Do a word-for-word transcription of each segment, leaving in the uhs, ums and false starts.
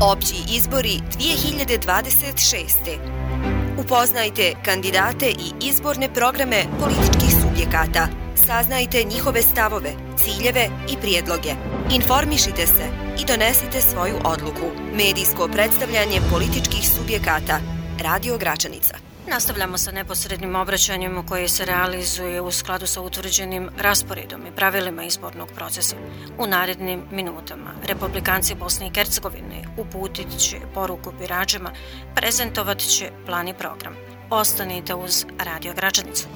Opći izbori dvije hiljade dvadeset šeste. Upoznajte kandidate i izborne programe političkih subjekata. Saznajte njihove stavove, ciljeve i prijedloge. Informišite se i donesite svoju odluku. Medijsko predstavljanje političkih subjekata. Radio Gračanica. Nastavljamo sa neposrednim obraćanjem koje se realizuje u skladu sa utvrđenim rasporedom i pravilima izbornog procesa. U narednim minutama Republikanci Bosne i Hercegovine uputit će poruku biračima, prezentovat će plan i program. Ostanite uz Radio Gračanicu.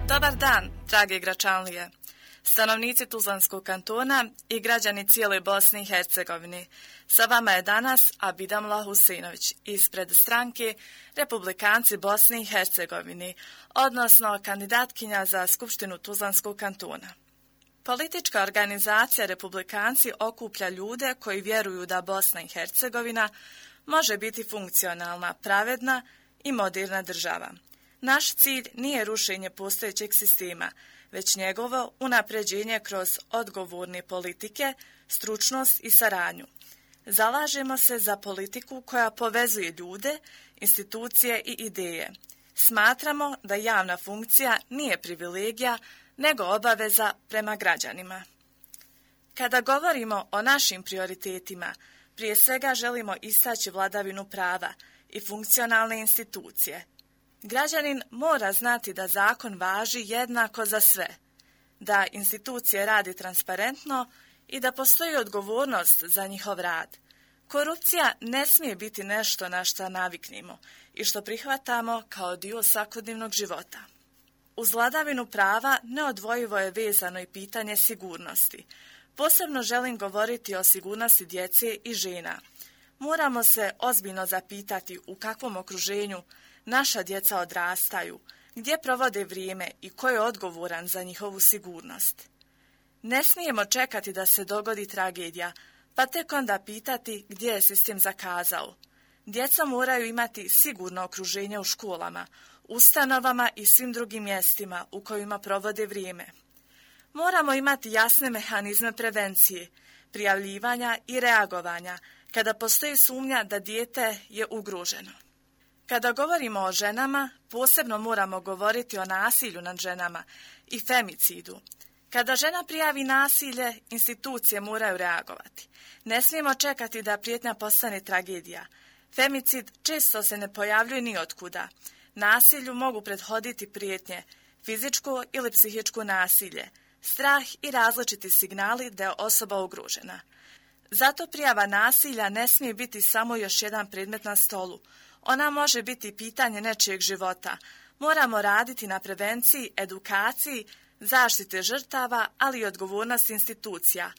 Dobar dan, drage Gračanlije, stanovnici Tuzlanskog kantona i građani cijele Bosne i Hercegovine. Sa vama je danas Abidamla Husinović ispred stranke Republikanci Bosne i Hercegovine, odnosno kandidatkinja za Skupštinu Tuzlanskog kantona. Politička organizacija Republikanci okuplja ljude koji vjeruju da Bosna i Hercegovina može biti funkcionalna, pravedna i moderna država. Naš cilj nije rušenje postojećeg sistema, već njegovo unapređenje kroz odgovorne politike, stručnost i saradnju. Zalažemo se za politiku koja povezuje ljude, institucije i ideje. Smatramo da javna funkcija nije privilegija, nego obaveza prema građanima. Kada govorimo o našim prioritetima, prije svega želimo istaći vladavinu prava i funkcionalne institucije. Građanin mora znati da zakon važi jednako za sve, da institucije radi transparentno i da postoji odgovornost za njihov rad. Korupcija ne smije biti nešto na što naviknemo i što prihvatamo kao dio svakodnevnog života. Uz vladavinu prava neodvojivo je vezano i pitanje sigurnosti. Posebno želim govoriti o sigurnosti djece i žena. Moramo se ozbiljno zapitati u kakvom okruženju naša djeca odrastaju, gdje provode vrijeme i ko je odgovoran za njihovu sigurnost. Ne smijemo čekati da se dogodi tragedija, pa tek onda pitati gdje je sistem zakazao. Djeca moraju imati sigurno okruženje u školama, ustanovama i svim drugim mjestima u kojima provode vrijeme. Moramo imati jasne mehanizme prevencije, prijavljivanja i reagovanja kada postoji sumnja da dijete je ugroženo. Kada govorimo o ženama, posebno moramo govoriti o nasilju nad ženama i femicidu. Kada žena prijavi nasilje, institucije moraju reagovati. Ne smijemo čekati da prijetnja postane tragedija. Femicid često se ne pojavljuje ni otkuda. Nasilju mogu prethoditi prijetnje, fizičko ili psihičko nasilje, strah i različiti signali da je osoba ugrožena. Zato prijava nasilja ne smije biti samo još jedan predmet na stolu. Ona može biti pitanje nečijeg života. Moramo raditi na prevenciji, edukaciji, zaštite žrtava, ali i odgovornost institucija.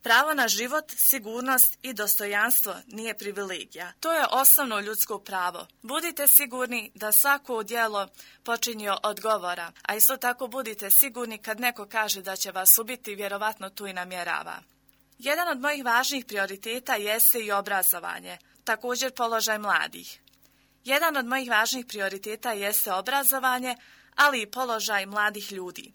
Pravo na život, sigurnost i dostojanstvo nije privilegija. To je osnovno ljudsko pravo. Budite sigurni da svako djelo počinje od govora, a isto tako budite sigurni kad neko kaže da će vas ubiti, vjerovatno tu i namjerava. Jedan od mojih važnih prioriteta jeste i obrazovanje, također položaj mladih. Jedan od mojih važnih prioriteta jeste obrazovanje, ali i položaj mladih ljudi.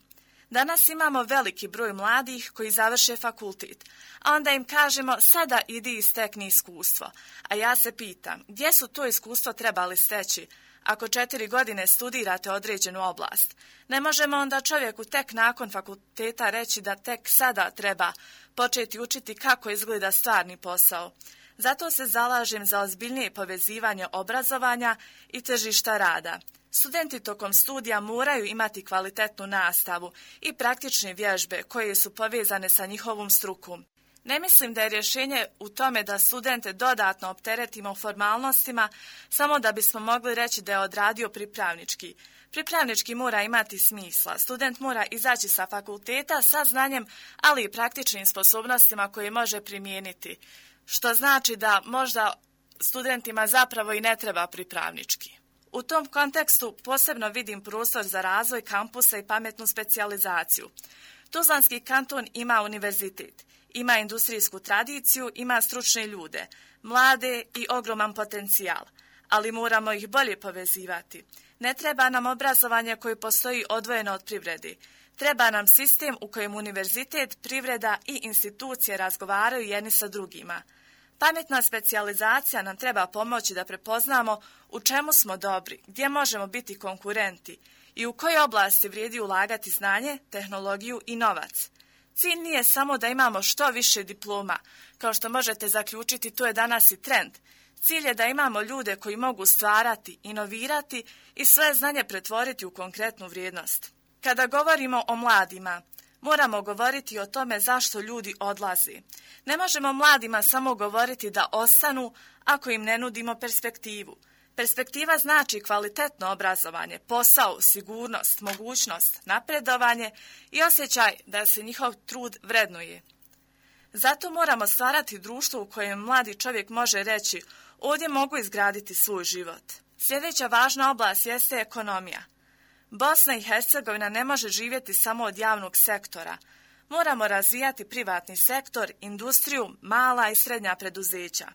Danas imamo veliki broj mladih koji završe fakultet, a onda im kažemo sada idi i stekni iskustvo. A ja se pitam, gdje su to iskustvo trebali steći ako četiri godine studirate određenu oblast? Ne možemo onda čovjeku tek nakon fakulteta reći da tek sada treba početi učiti kako izgleda stvarni posao. Zato se zalažem za ozbiljnije povezivanje obrazovanja i tržišta rada. Studenti tokom studija moraju imati kvalitetnu nastavu i praktične vježbe koje su povezane sa njihovom strukom. Ne mislim da je rješenje u tome da studente dodatno opteretimo formalnostima samo da bismo mogli reći da je odradio pripravnički. Pripravnički mora imati smisla. Student mora izaći sa fakulteta sa znanjem, ali i praktičnim sposobnostima koje može primijeniti. Što znači da možda studentima zapravo i ne treba pripravnički. U tom kontekstu posebno vidim prostor za razvoj kampusa i pametnu specijalizaciju. Tuzlanski kanton ima univerzitet, ima industrijsku tradiciju, ima stručne ljude, mlade i ogroman potencijal, ali moramo ih bolje povezivati. Ne treba nam obrazovanje koje postoji odvojeno od privrede. Treba nam sistem u kojem univerzitet, privreda i institucije razgovaraju jedni sa drugima. Pametna specijalizacija nam treba pomoći da prepoznamo u čemu smo dobri, gdje možemo biti konkurenti i u kojoj oblasti vrijedi ulagati znanje, tehnologiju i novac. Cilj nije samo da imamo što više diploma, kao što možete zaključiti, to je danas i trend. Cilj je da imamo ljude koji mogu stvarati, inovirati i svoje znanje pretvoriti u konkretnu vrijednost. Kada govorimo o mladima, moramo govoriti o tome zašto ljudi odlazi. Ne možemo mladima samo govoriti da ostanu ako im ne nudimo perspektivu. Perspektiva znači kvalitetno obrazovanje, posao, sigurnost, mogućnost, napredovanje i osjećaj da se njihov trud vrednuje. Zato moramo stvarati društvo u kojem mladi čovjek može reći ovdje mogu izgraditi svoj život. Sljedeća važna oblast jeste ekonomija. Bosna i Hercegovina ne može živjeti samo od javnog sektora. Moramo razvijati privatni sektor, industriju, mala i srednja preduzeća.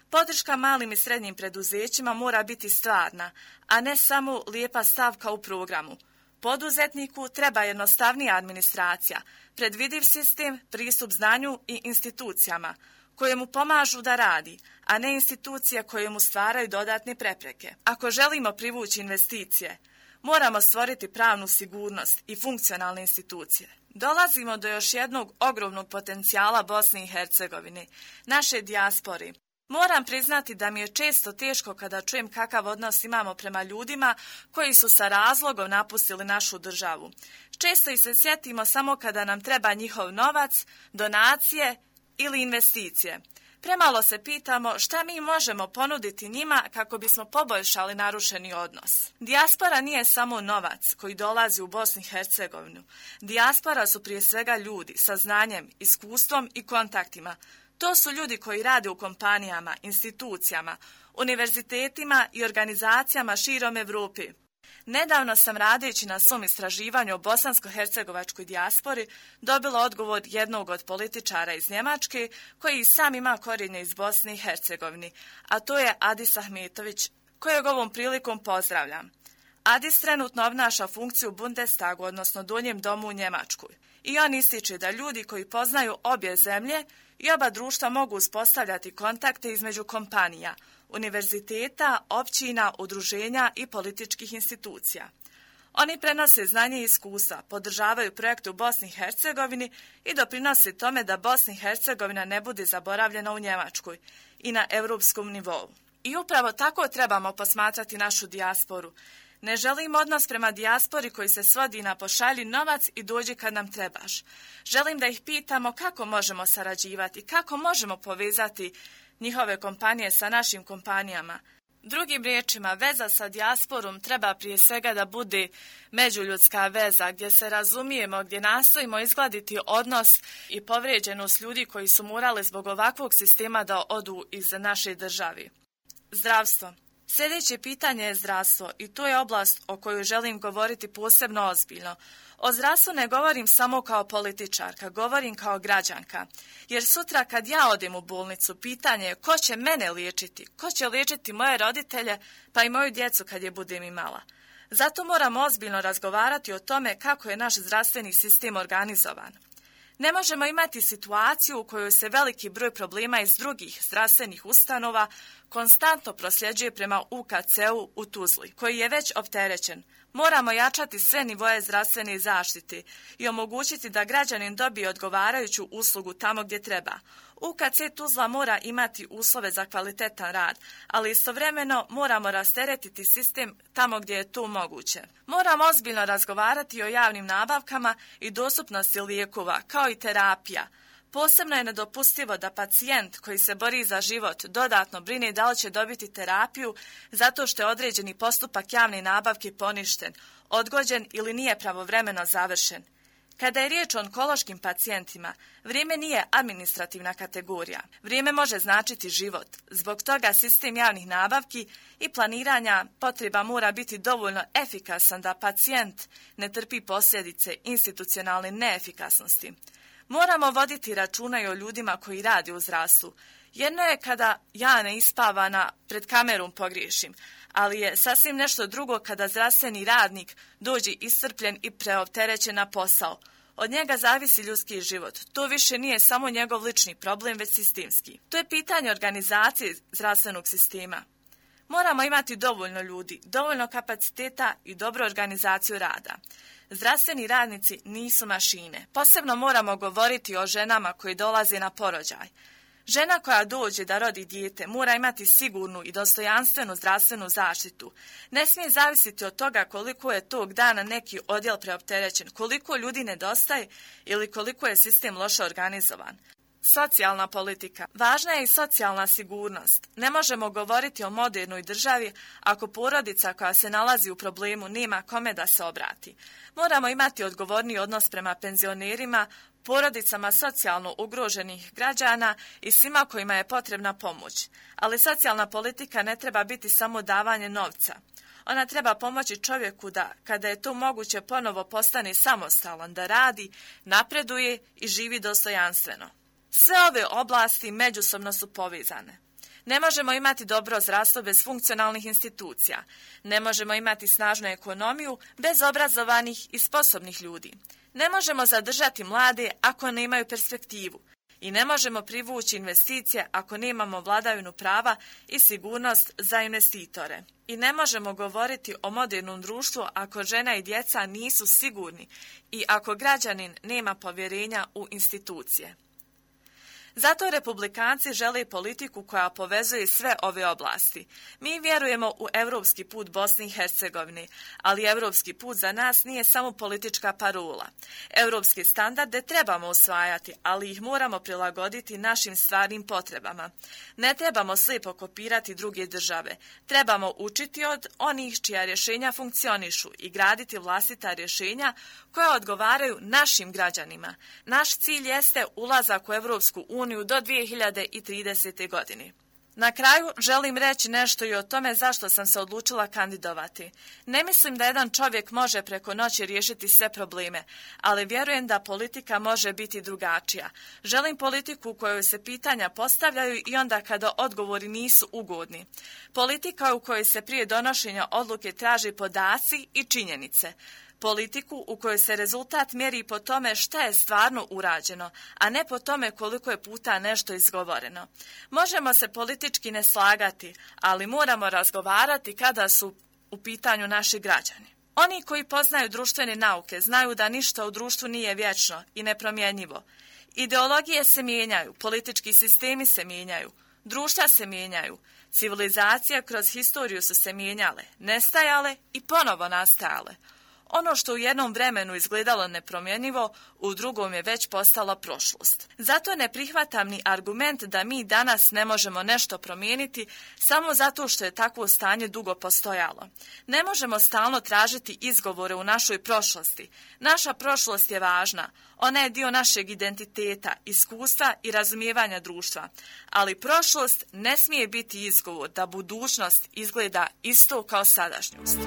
Podrška malim i srednjim preduzećima mora biti stvarna, a ne samo lijepa stavka u programu. Poduzetniku treba jednostavnija administracija, predvidiv sistem, pristup znanju i institucijama koje mu pomažu da radi, a ne institucije koje mu stvaraju dodatne prepreke. Ako želimo privući investicije, moramo stvoriti pravnu sigurnost i funkcionalne institucije. Dolazimo do još jednog ogromnog potencijala Bosne i Hercegovine, naše dijaspore. Moram priznati da mi je često teško kada čujem kakav odnos imamo prema ljudima koji su sa razlogom napustili našu državu. Često ih se sjetimo samo kada nam treba njihov novac, donacije ili investicije. Premalo se pitamo šta mi možemo ponuditi njima kako bismo poboljšali narušeni odnos. Dijaspora nije samo novac koji dolazi u Bosnu i Hercegovinu. Dijaspora su prije svega ljudi sa znanjem, iskustvom i kontaktima. To su ljudi koji rade u kompanijama, institucijama, univerzitetima i organizacijama širom Evrope. Nedavno sam radeći na svom istraživanju o bosansko-hercegovačkoj dijaspori dobila odgovor jednog od političara iz Njemačke koji sam ima korijenje iz Bosne i Hercegovine, a to je Adis Ahmetović, kojeg ovom prilikom pozdravljam. Adis trenutno obnaša funkciju u Bundestagu, odnosno Donjem domu u Njemačkoj. I on ističe da ljudi koji poznaju obje zemlje i oba društva mogu uspostavljati kontakte između kompanija, univerziteta, općina, udruženja i političkih institucija. Oni prenose znanje i iskustva, podržavaju projekte u Bosni i Hercegovini i doprinose tome da Bosna i Hercegovina ne bude zaboravljena u Njemačkoj i na europskom nivou. I upravo tako trebamo posmatrati našu dijasporu. Ne želim odnos prema dijaspori koji se svodi na pošalji novac i dođi kad nam trebaš. Želim da ih pitamo kako možemo sarađivati, kako možemo povezati njihove kompanije sa našim kompanijama. Drugim riječima, veza sa dijasporom treba prije svega da bude međuljudska veza, gdje se razumijemo, gdje nastojimo izgladiti odnos i povrijeđenost ljudi koji su morali zbog ovakvog sistema da odu iz naše države. Zdravstvo. Sljedeće pitanje je zdravstvo i to je oblast o kojoj želim govoriti posebno ozbiljno. O zdravstvu ne govorim samo kao političarka, govorim kao građanka. Jer sutra kad ja odem u bolnicu, pitanje je ko će mene liječiti, ko će liječiti moje roditelje pa i moju djecu kad je budem imala. Zato moramo ozbiljno razgovarati o tome kako je naš zdravstveni sistem organizovan. Ne možemo imati situaciju u kojoj se veliki broj problema iz drugih zdravstvenih ustanova konstantno prosljeđuje prema U K C-u u Tuzli, koji je već opterećen. Moramo jačati sve nivoje zdravstvene zaštite i omogućiti da građanin dobije odgovarajuću uslugu tamo gdje treba. U K C Tuzla mora imati uslove za kvalitetan rad, ali istovremeno moramo rasteretiti sistem tamo gdje je to moguće. Moramo ozbiljno razgovarati o javnim nabavkama i dostupnosti lijekova, kao i terapija. Posebno je nedopustivo da pacijent koji se bori za život dodatno brine da li će dobiti terapiju zato što je određeni postupak javne nabavke poništen, odgođen ili nije pravovremeno završen. Kada je riječ o onkološkim pacijentima, vrijeme nije administrativna kategorija. Vrijeme može značiti život. Zbog toga sistem javnih nabavki i planiranja potreba mora biti dovoljno efikasan da pacijent ne trpi posljedice institucionalne neefikasnosti. Moramo voditi računa i o ljudima koji rade u zdravstvu. Jedno je kada ja neispavana pred kamerom pogriješim, ali je sasvim nešto drugo kada zdravstveni radnik dođe iscrpljen i preopterećen na posao. Od njega zavisi ljudski život. To više nije samo njegov lični problem, već sistemski. To je pitanje organizacije zdravstvenog sistema. Moramo imati dovoljno ljudi, dovoljno kapaciteta i dobru organizaciju rada. Zdravstveni radnici nisu mašine. Posebno moramo govoriti o ženama koji dolaze na porođaj. Žena koja dođe da rodi dijete mora imati sigurnu i dostojanstvenu zdravstvenu zaštitu. Ne smije zavisiti od toga koliko je tog dana neki odjel preopterećen, koliko ljudi nedostaje ili koliko je sistem loše organizovan. Socijalna politika. Važna je i socijalna sigurnost. Ne možemo govoriti o modernoj državi ako porodica koja se nalazi u problemu nema kome da se obrati. Moramo imati odgovorniji odnos prema penzionerima, porodicama socijalno ugroženih građana i svima kojima je potrebna pomoć. Ali socijalna politika ne treba biti samo davanje novca. Ona treba pomoći čovjeku da, kada je to moguće, ponovo postane samostalan, da radi, napreduje i živi dostojanstveno. Sve ove oblasti međusobno su povezane. Ne možemo imati dobro zdravstvo bez funkcionalnih institucija. Ne možemo imati snažnu ekonomiju bez obrazovanih i sposobnih ljudi. Ne možemo zadržati mlade ako nemaju perspektivu. I ne možemo privući investicije ako nemamo vladavinu prava i sigurnost za investitore. I ne možemo govoriti o modernom društvu ako žena i djeca nisu sigurni i ako građanin nema povjerenja u institucije. Zato republikanci žele politiku koja povezuje sve ove oblasti. Mi vjerujemo u europski put Bosne i Hercegovine, ali europski put za nas nije samo politička parola. Europske standarde trebamo usvajati, ali ih moramo prilagoditi našim stvarnim potrebama. Ne trebamo slijepo kopirati druge države. Trebamo učiti od onih čija rješenja funkcionišu i graditi vlastita rješenja koja odgovaraju našim građanima. Naš cilj jeste ulazak u Europsku uniju do dvije hiljade tridesete. godine. Na kraju želim reći nešto i o tome zašto sam se odlučila kandidovati. Ne mislim da jedan čovjek može preko noći riješiti sve probleme, ali vjerujem da politika može biti drugačija. Želim politiku u kojoj se pitanja postavljaju i onda kada odgovori nisu ugodni. Politika u kojoj se prije donošenja odluke traži podaci i činjenice. Politiku u kojoj se rezultat mjeri po tome šta je stvarno urađeno, a ne po tome koliko je puta nešto izgovoreno. Možemo se politički ne slagati, ali moramo razgovarati kada su u pitanju naši građani. Oni koji poznaju društvene nauke znaju da ništa u društvu nije vječno i nepromjenjivo. Ideologije se mijenjaju, politički sistemi se mijenjaju, društva se mijenjaju, civilizacije kroz historiju su se mijenjale, nestajale i ponovo nastajale. Ono što u jednom vremenu izgledalo nepromjenjivo, u drugom je već postala prošlost. Zato ne prihvatam ni argument da mi danas ne možemo nešto promijeniti samo zato što je takvo stanje dugo postojalo. Ne možemo stalno tražiti izgovore u našoj prošlosti. Naša prošlost je važna. Ona je dio našeg identiteta, iskustva i razumijevanja društva. Ali prošlost ne smije biti izgovor da budućnost izgleda isto kao sadašnjost.